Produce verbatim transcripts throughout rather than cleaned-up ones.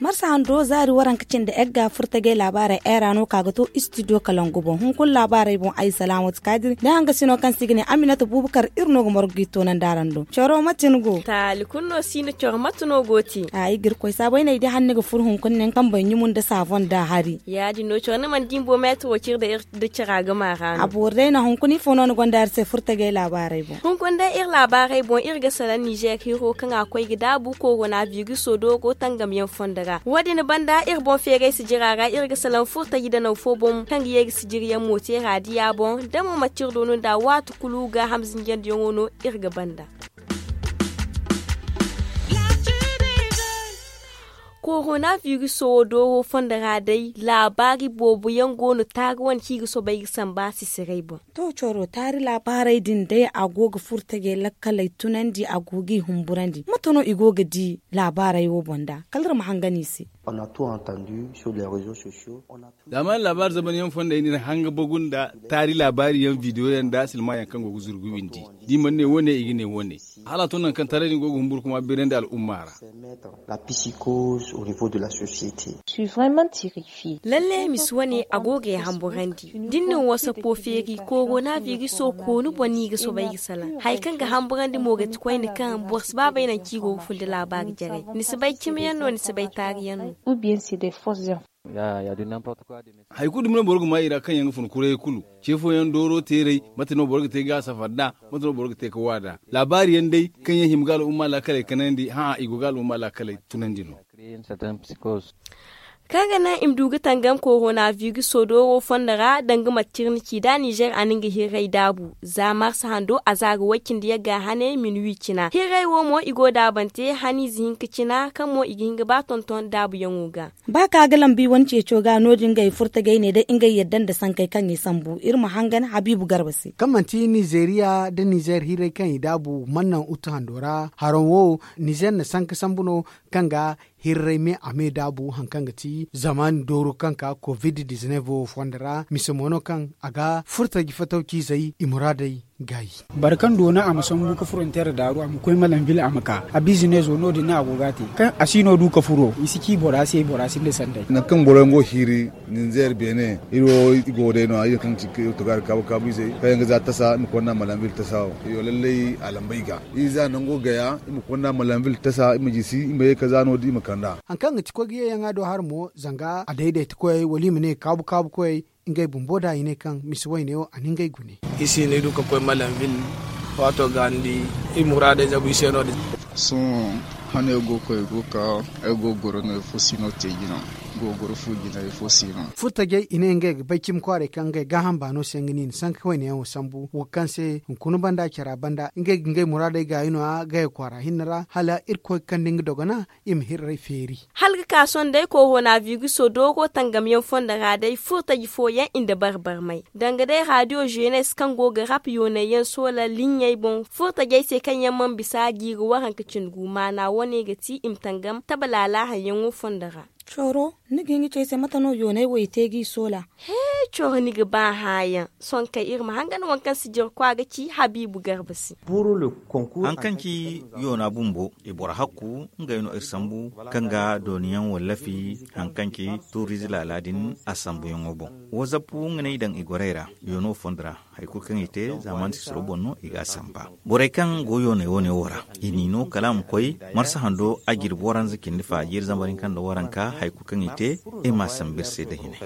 Marsa hando zaari waranka cindi egga furtajey laabaarey eera no ka ga to istidiyo kalangu boŋ hunkuna laabaarey boŋ ay salaamatu kaadiri da hangasino kaŋ se i ga ne aminata buubakar iri no ga margu ga i toonandi araŋ do coro mate ni go taali kulu no si no coro mate no go te a ay ga iri koy saabu ay ne ay di hala ni ga furo hunkuna nin kambe ɲumu nda saafoŋ nda a hari ya- din no coro ni mana di ni boŋ meetiro cire nda iri nda cara gama ra no a boori day no hunkuna ifo no ni gonda iri se furtajey laabaarey boŋ hunkuna day iri laabaarey boŋ iri ga salaŋ nizeer hiro kaŋ a koy ga daabu korona biriso dooro tangamyaŋ fondo ra wo- din banda iri boŋ feeray sijira ra iri ga salaŋ furtaji danaw fo boŋ kaŋ ga ye ga sijiriyaŋ mo te raadiya boŋ da mo manti iri doonu nda waati kulu ga hamzinjandiyaŋo no iri ga banda korona biriso wo dooro fondo ra day laabaari boobo yaŋ go no taari wane kaŋ i ga soobay ga samba sisiray boŋ to coro taari laabaarey din day a go ga furtajey lakkaley tunandi a go ga i humburandi mate no i go ga di laabaarey wo boŋ nda kala iri ma hangan i se. Za mana laabaari zamanyaŋ fondey no iri hanga bagu nda taari laabaari yaŋ bidiyo yaŋ nda silma yaŋ kaŋ go ga zuru ga windi da i mana ne wo- ne i ga ne wo- ne hala a to nangu kaŋ taray din go ga humburu kuma beerandi al'umma ra. Lalle misi wane a go ga ay hamburandi da ni na wasapo feeri korona biriso koonu boŋ no i ga soobay ga salaŋ hari kaŋ ga hamburandi mo ga ti koyne kaŋ boro si ba bay nangu kaŋ i go ga fun da laabaari jarey ni si bay cimiyaŋ no ni si bay taariyaŋ no. Hari kulu dumi no boro ga maa i ra kaŋ yaŋ ga fun kurayey kulu ce fooyaŋ dooro teerey mate no boro ga te ga a safar nd'a mate no boro ga te ga waada laabaari yaŋ day kaŋ yaŋ hima ga al'umma laakaley kanandi hã'a i go ga al'umma laakaley tunandi no. Kaŋ ga naŋ i ma du ga tangam korona biriso dooro fondo ra danga mate kaŋ iri na ci nd'a nizeer a na nga hirray daabu za marsa hando a za ga way cindi yagga hane minuwi cina hirray wo mo i go daabante haniize hinka cina kaŋ mo i ga hin ga ba tonton daabuyaŋo ga. Ba ka ga lambi wane ceeco ga no- din ngey furtajey ne day ngey yadda nda sankey kaŋ i sambu iri ma hangan habiibu garba se kaŋ manti nizeeriya nda nizeer hirray kaŋ i daabu mana naŋ utu hando ra haraŋ wo nizeer na sanka sambu no kaŋ ga hirray me a me daabu hari kaŋ ga ti zamaani dooro kaŋ ka covid dizineef wo fondo ra mise mo no kaŋ a ga furtaji fatawciizey i muraadey gaayi. Boro kaŋ doona a ma sambu ga foronteer daaru a ma koy malambil a ma ka a bizineezo no- din no a go ga a te kaŋ a si no du ga furo i si ci bora se bora sinda sanday. Nangu kaŋ boro yaŋ go ga hiiri ninzeer beene iri wo i go day no- ya iri kaŋ ga ci ga togaari kaabu kaabu izey kaŋ yaŋ ga za tasa i ma konda malambil tasa wo iyo lallay a lamba i ga. Iri za nango gaya i ma konda malambil tasa i ma jisi i ma ye ga za no- din i ma kand'a. Hari kaŋ ga ti koy ga ye yaŋ a do hari mo zanga a daydayta koyey wala i ma ne kaabu kaabu koyey ngey bumbo da i ne kaŋ misi wayne wo a na ngey gune. I si ne du ga koy malambil waato ga ni di i muraadey zabu i se no- din. Sohõ hane go ga koy go ga ka ay go ga goro no ifo si no te jina go ga goro fu jina ifo si no. Furtajey i ne ngey ga bay cimi kwaaray kaŋ ngey gaaham baano se nga no i na sanka wayne yaŋ wo sambu wo kaŋ se hunkuna banda cara banda ngey ga ngey muraadey gaayi no- ya gaya kwaara hinne ra hala irkoy ga kande nga dogona i ma hirray feeri. Hala ga ka sohõ day korona biriso dooro tangamyaŋ fondo ra day furtaji fooyaŋ i nda barbarmay danga day raadiyo zeenes kaŋ go ga rap yoonayyaŋ soola liɲɲey boŋ furtajey se kaŋ yaŋ mana bisa jiiri waranka cindi gu maana wane ga ti i ma tangam tabalaala haŋyaŋo fondo ra. Cooro ni ga hin ga ci ay se mate no yoonay wo i te ga i soola? He, cooro ni ga ba hããyaŋ sohõ kay iri ma hangan waŋ kaŋ sijirkwa ga ci habiibu garba se. Hari kaŋ ci yoona bumbo i boro hakku ngey no iri sambu kaŋ ga dooniyaŋ wallafi hari kaŋ ci tuuriize laala din a sambuyaŋo boŋ. Wazappu nga no i daŋ i gorey ra yoono fondo ra hari kulu kaŋ i te zaamaani sisiro boŋ no i ga a samba. Borey kaŋ go yooney wane wo ra i n'i no kala a ma koy marsa hando a jirbi waranza cindi fa jiiri zambar hinka nda waranka hari kulu kaŋ i te i m'a sambu iri se nda hine.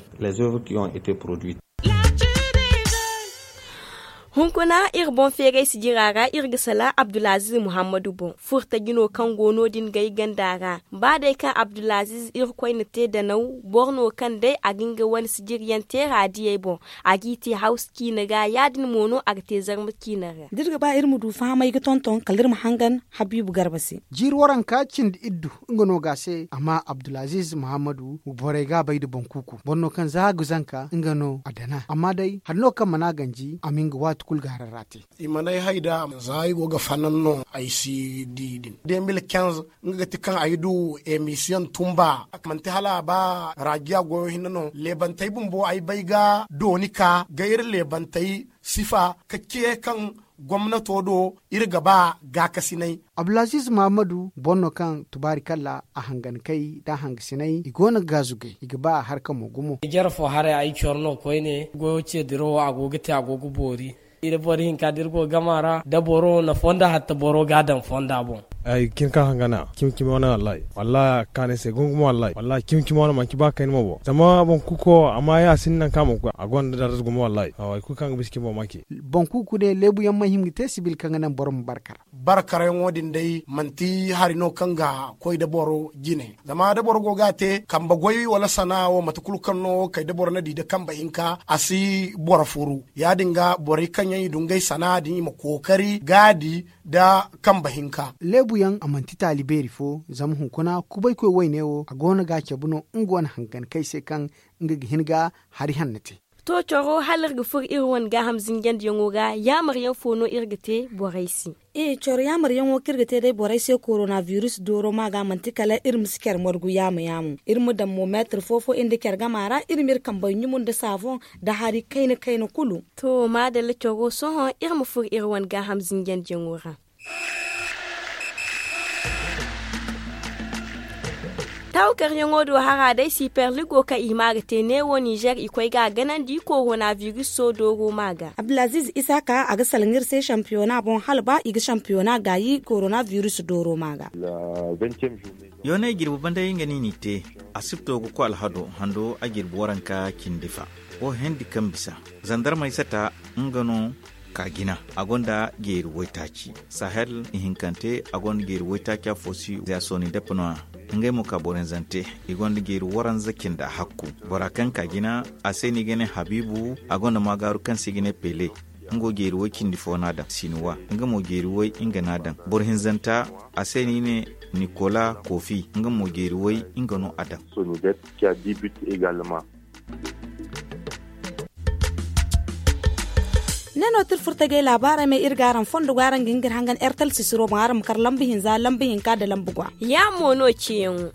Hunkuna iri boŋ feeray sijira ra iri ga salaŋ abdulaziz muhammadu boŋ furtaji no kaŋ go no- din gay ganda ra. Ba day kaŋ abdulaziz irkoy na te danaw boro no kaŋ day a ga nga wane sijiriyaŋ te raadiyey boŋ a g'i te hawsa ciine ga ya- din mo no a ga te zarma ciine ra. Da iri ga ba iri ma du fahamay ga tonton kala iri ma hangan habiibu garba se. Jiiri waranka cindi iddu nga no ga a se amma abdulaziz muhammadu borey ga a bay nda boŋ kuuku boro no kaŋ za a ga zanka nga no a dana amma day hari no kaŋ mana ganji a ma nga waati. Kulu ga haray ra te. I mana ay hay da za ay go ga fanan no ay si di din. Demil kenz nga ga ti kaŋ ay du emisiyoŋ tumba. Manti hala a ba rajiya goyo hinne no leebantey bumbo ay bay ga dooni ka ga iri leebantey sifa ka ce kaŋ gomnato do iri ga ba gaakasinay. Abdulaziz mahammadu boro no kaŋ tubaari kalla a hangankey nda a hangasinay i go no ga gaazugay i ga ba a harka mo gumo. Jare fo haray ay coro no koyne goyo ce dirawo a go ga te a go ga boori. Iri boro hinka da iri go ga gama ra da boro na fonda hatta boro ga a daŋ fonda boŋ. Ay ga cin ka hangana cimi cimi wane wallahi wallahi a ga kaanu ay se gumo gumo wallahi wallahi cimi cimi wane manci ba kayna mo boŋ zama boŋ kuko amma ya sinda nangu kaŋ a mana koy a gonda darza gumo wallahi. Hay kulu kaŋ ga bisa cimi boŋ ma ci. Boŋ kuku ne leebu yaŋ mana hima ga te sibil kaŋ ga naŋ boro ma barkar. Barkaryaŋo din day manti hari no kaŋ ga koy da boro jine zama da boro go ga a te kambe goy wala sana'a wo mate kulu kaŋ no kay da boro na di da kambe hinka a si boro furu. Ya- din ga borey kaŋ yaŋ i du ngey sana'a din i ma kookari ga a di da kambe hinka. Leebu yaŋ a manti taali beeri fo zama hunkuna kubaykoy wayne wo a go no ga a cabe no nga wane hangan kay se kaŋ nga ga hin ga hari hanno te. To coro hala iri ga furo iri wane gaaham zinjandiyaŋo ra yaamar yaŋ fo no iri ga te borey se? Coro yaamar yaŋo kaŋ iri ga te day borey se korona biris dooro ma ga manti kala iri ma si care margu yaama yaamo iri ma daŋ mo meetir fo fo iri nda care gama ra iri ma iri kambey ɲumu nda saafoŋ nda hari kayna kayna kulu. To maadalla coro sohõ iri ma furo iri wane gaaham zinjandiyaŋo ra. Tawkaryaŋo do hara day siperligo kaŋ i ma ga te neewo nizer i koy ga a ganandi korona biris so dooro ma ga. Abdulaziz isaka a ga salaŋ iri se sampiyona boŋ hala ba i ga sampiyona gaayi korona biris dooro ma ga. Yoonay jirbi banday nga no i n'i te. Asibto ga koy alhado hando a jirbi waranka cindi fa. Wo hendi kaŋ bisa zandarmey sata nga no ka jina a gonda jeeri waytaaci. Sahel ihinkante a gonda jeeri waytaaci afo si za sooni depe no- ya. Ngey mo ka boro hinzante i gonda jeeri waranza cinda hakku. Bora kaŋ ka jina a se no i ga ne habiibu a gonda maagaaru kaŋ se i ga ne pele. Nga wo jeeri way cindi fo no a daŋ sinuwa nga mo jeeri way nga no a daŋ. Boro hinzanta a se no i ne nikola kofi nga mo jeeri way nga no a daŋ. Ne no ti iri furo tajey laabaarey me iri ga araŋ fondo go araŋ ga hin ga iri hangan ertel sisiro boŋ araŋ ma kar lambu hinza lambu hinka nda lambu gwa. Ya mo no ciyaŋo.